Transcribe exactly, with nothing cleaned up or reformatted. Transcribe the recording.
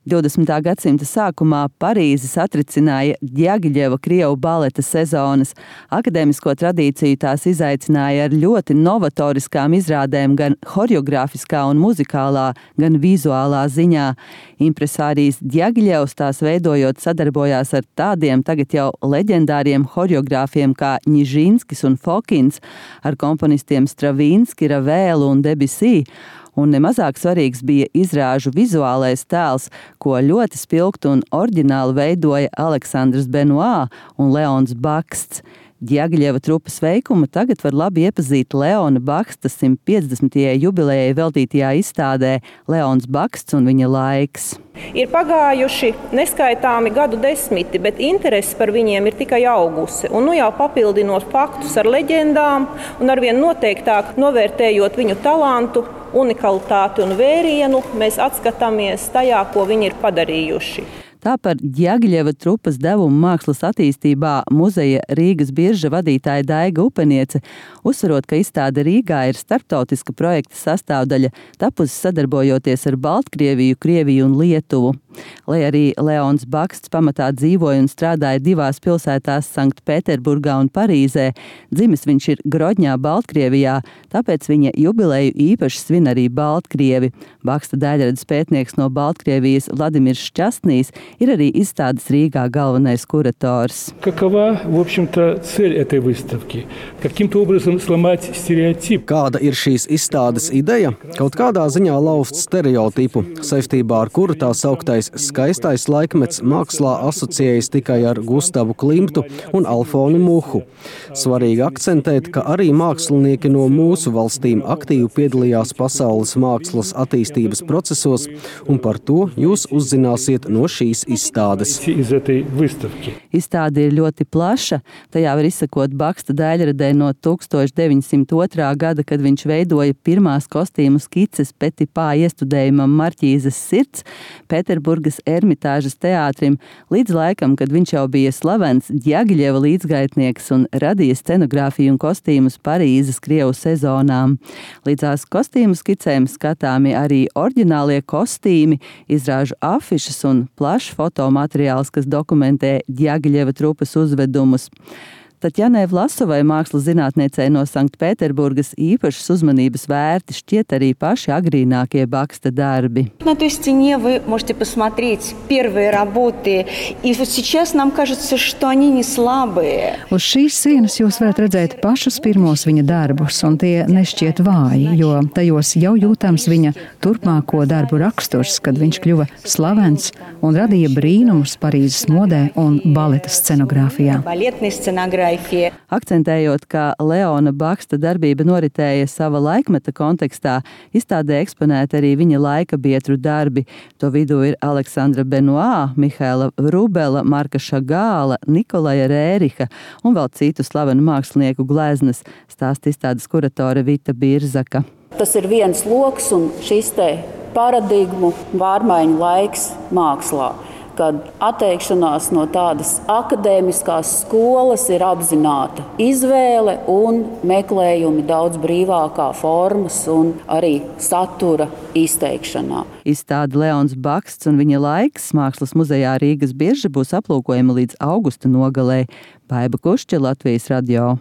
divdesmitā gadsimta sākumā Parīzi satricināja Djagiļeva krievu baleta sezonas. Akadēmisko tradīciju tās izaicināja ar ļoti novatoriskām izrādēm gan horeogrāfiskā un muzikālā, gan vizuālā ziņā. Impresārijs Djagiļevs tās veidojot sadarbojās ar tādiem tagad jau leģendāriem horeogrāfiem kā Nižinskis un Fokins, ar komponistiem Stravinski, Ravelu un Debussy. Un nemazāk svarīgs bija izrāžu vizuālais tēls, ko ļoti spilgtu un oriģināli veidoja Aleksandrs Benois un Leons Baksts. Djagiļeva trupas veikumu tagad var labi iepazīt Leona Baksta simt piecdesmitajai jubilejai veltītajā izstādē Leons Baksts un viņa laiks. Ir pagājuši neskaitāmi gadu desmiti, bet interese par viņiem ir tikai augusi. Un nu jau papildinot faktus ar leģendām un arvien noteiktāk novērtējot viņu talantu, unikalitāti un vērienu, mēs atskatāmies tajā, ko viņi ir padarījuši. Tā par Djagiļeva trupas devumu mākslas attīstībā muzeja Rīgas birža vadītāja Daiga Upeniece, uzsverot, ka izstāde Rīgā ir starptautiska projekta sastāvdaļa, tapusi sadarbojoties ar Baltkrieviju, Krieviju un Lietuvu. Lai arī Leons Baksts pamatā dzīvoja un strādāja divās pilsētās Sanktpēterburgā un Parīzē, dzimis viņš ir Grodņā, Baltkrievijā, tāpēc viņa jubileju īpaši svin arī Baltkrievi. Baksta daļradas pētnieks no Baltkrievijas Vladimirs Šķastnīs ir arī izstādes Rīgā galvenais kurators. Какова, в общем-то, цель этой выставки? Каким-то образом сломать стереотип. Kāda ir šīs izstādes ideja? Kaut kādā ziņā lauzt stereotipu, saistībā ar kuru tā sauktais skaistais laikmets mākslā asociējas tikai ar Gustavu Klimtu un Alfonu Muhu. Svarīgi akcentēt, ka arī mākslinieki no mūsu valstīm aktīvi piedalījās pasaules mākslas attīstības procesos, un par to jūs uzzināsiet no šīs izstādes. Izstāde ir ļoti plaša. Tajā var izsakot Baksta daļradē no tūkstoš deviņsimt otrā gada, kad viņš veidoja pirmās kostīmu skices Petipā iestudējumam Marķīzes sirds, Pēterburgas Ermitāžas teātrim, līdz laikam, kad viņš jau bija slavens Djagiļeva līdzgaitnieks un radīja scenogrāfiju un kostīmus Parīzes krievu sezonām. Līdzās kostīmu skicēm skatāmi arī oriģinālie kostīmi, izrāžu afišas un plašs fotomateriāls, kas dokumentē Djagiļeva trupas uzvedumus. Tatjanai Vlasovai, mākslas zinātniecei no Sanktpēterburgas, īpašas uzmanības vērti šķiet arī paši agrīnākie Baksta darbi. На той стене вы можете посмотреть первые работы, и вот сейчас нам кажется, что они не слабые. Uz šīs sienas jūs varat redzēt pašus pirmos viņa darbus, un tie nešķiet vāji, jo tajos jau jūtams viņa turpmāko darbu raksturs, kad viņš kļuva slavens un radīja brīnumus Parīzes modē un baleta scenogrāfijā. Baletной scenogrāfijā. Akcentējot, ka Leona Baksta darbība noritēja sava laikmeta kontekstā, izstādē eksponēti arī viņa laika biedru darbi. To vidū ir Aleksandra Benois, Mihaila Vrubela, Marka Šagāla, Nikolaja Rēriha un vēl citu slavenu mākslinieku gleznas, stāsta izstādes kuratore Vita Birzaka. Tas ir viens loks un šis te paradigmu pārmaiņu laiks mākslā, kad atteikšanās no tādas akadēmiskās skolas ir apzināta izvēle un meklējumi daudz brīvākā formas un arī satura izteikšanā. Izstāde Leons Baksts un viņa laiks Mākslas muzejā Rīgas birža būs aplūkojama līdz augusta nogalē. Baiba Kušķa, Latvijas radio.